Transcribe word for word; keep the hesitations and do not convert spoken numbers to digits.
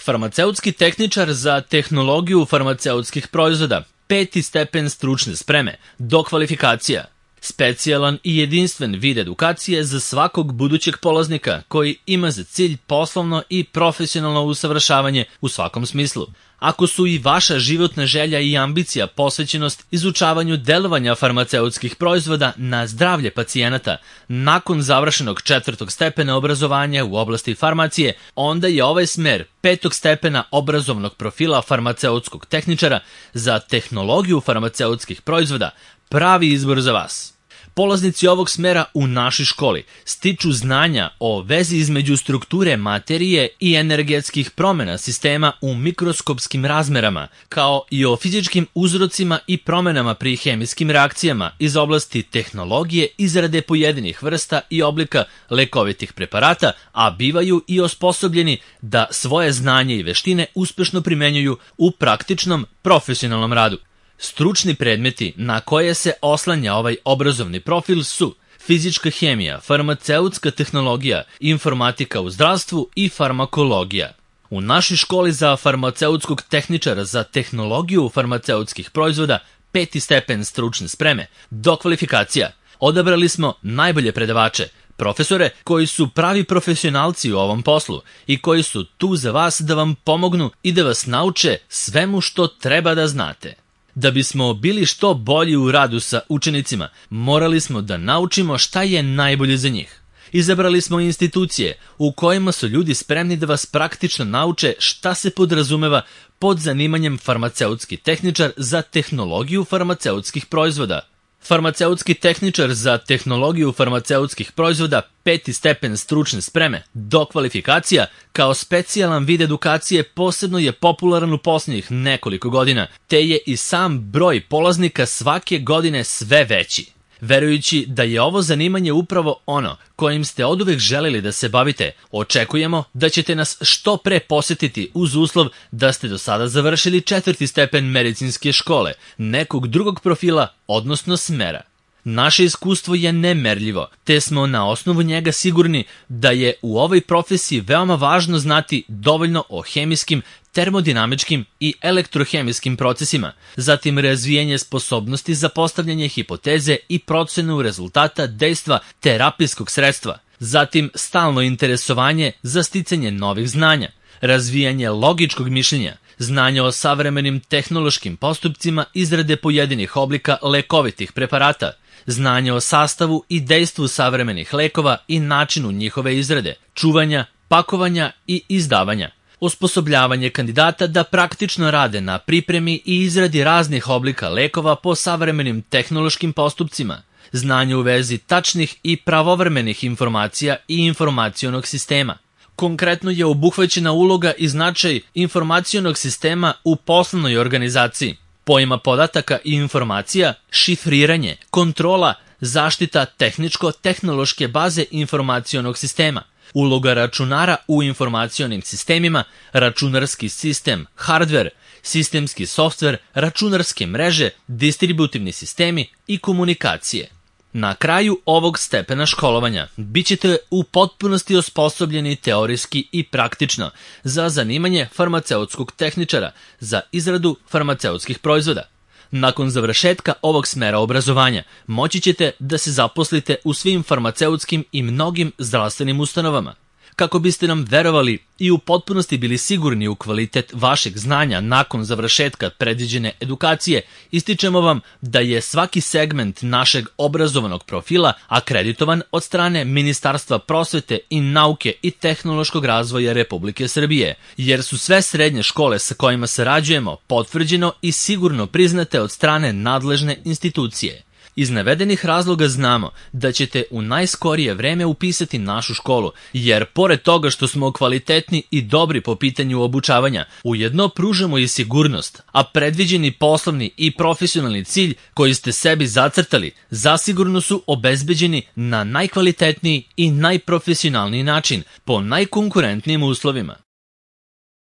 Farmaceutski tehničar za tehnologiju farmaceutskih proizvoda, peti stepen stručne spreme, dokvalifikacija. Specijalan i jedinstven vid edukacije za svakog budućeg polaznika koji ima za cilj poslovno i profesionalno usavršavanje u svakom smislu. Ako su i vaša životna želja i ambicija posvećenost izučavanju delovanja farmaceutskih proizvoda na zdravlje pacijenata nakon završenog četvrtog stepena obrazovanja u oblasti farmacije, onda je ovaj smer petog stepena obrazovnog profila farmaceutskog tehničara za tehnologiju farmaceutskih proizvoda pravi izbor za vas. Polaznici ovog smera u našoj školi stiču znanja o vezi između strukture materije i energetskih promjena sistema u mikroskopskim razmerama, kao i o fizičkim uzrocima i promjenama pri hemijskim reakcijama iz oblasti tehnologije izrade pojedinih vrsta i oblika lekovitih preparata, a bivaju i osposobljeni da svoje znanje i veštine uspešno primenjuju u praktičnom profesionalnom radu. Stručni predmeti na koje se oslanja ovaj obrazovni profil su fizička hemija, farmaceutska tehnologija, informatika u zdravstvu i farmakologija. U našoj školi za farmaceutskog tehničara za tehnologiju farmaceutskih proizvoda, peti stepen stručne spreme, dokvalifikacija, odabrali smo najbolje predavače, profesore koji su pravi profesionalci u ovom poslu i koji su tu za vas da vam pomognu i da vas nauče svemu što treba da znate. Da bismo bili što bolji u radu sa učenicima, morali smo da naučimo šta je najbolje za njih. Izabrali smo institucije u kojima su ljudi spremni da vas praktično nauče šta se podrazumeva pod zanimanjem farmaceutski tehničar za tehnologiju farmaceutskih proizvoda. Farmaceutski tehničar za tehnologiju farmaceutskih proizvoda, peti stepen stručne spreme, dokvalifikacija, kao specijalan vid edukacije posebno je popularan u posljednjih nekoliko godina, te je i sam broj polaznika svake godine sve veći. Verujući da je ovo zanimanje upravo ono kojim ste oduvek želeli da se bavite, očekujemo da ćete nas što pre posetiti uz uslov da ste do sada završili četvrti stepen medicinske škole, nekog drugog profila, odnosno smera. Naše iskustvo je nemerljivo, te smo na osnovu njega sigurni da je u ovoj profesiji veoma važno znati dovoljno o hemijskim, termodinamičkim i elektrohemijskim procesima, zatim razvijanje sposobnosti za postavljanje hipoteze i procenu rezultata dejstva terapijskog sredstva, zatim stalno interesovanje za sticanje novih znanja, razvijanje logičkog mišljenja, znanje o savremenim tehnološkim postupcima izrade pojedinih oblika lekovitih preparata, znanje o sastavu i dejstvu savremenih lekova i načinu njihove izrade, čuvanja, pakovanja i izdavanja, osposobljavanje kandidata da praktično rade na pripremi i izradi raznih oblika lekova po savremenim tehnološkim postupcima, znanje u vezi tačnih i pravovremenih informacija i informacionog sistema. Konkretno je obuhvaćena uloga i značaj informacionog sistema u poslovnoj organizaciji, pojma podataka i informacija, šifriranje, kontrola, zaštita tehničko-tehnološke baze informacionog sistema, uloga računara u informacionim sistemima, računarski sistem, hardver, sistemski softver, računarske mreže, distributivni sistemi i komunikacije. Na kraju ovog stepena školovanja bit ćete u potpunosti osposobljeni teorijski i praktično za zanimanje farmaceutskog tehničara za izradu farmaceutskih proizvoda. Nakon završetka ovog smera obrazovanja moći ćete da se zaposlite u svim farmaceutskim i mnogim zdravstvenim ustanovama. Kako biste nam verovali i u potpunosti bili sigurni u kvalitet vašeg znanja nakon završetka predviđene edukacije, ističemo vam da je svaki segment našeg obrazovnog profila akreditovan od strane Ministarstva prosvete i nauke i tehnološkog razvoja Republike Srbije, jer su sve srednje škole sa kojima sarađujemo potvrđeno i sigurno priznate od strane nadležne institucije. Iz navedenih razloga znamo da ćete u najskorije vreme upisati našu školu, jer pored toga što smo kvalitetni i dobri po pitanju obučavanja, ujedno pružamo i sigurnost, a predviđeni poslovni i profesionalni cilj koji ste sebi zacrtali zasigurno su obezbeđeni na najkvalitetniji i najprofesionalniji način po najkonkurentnijim uslovima.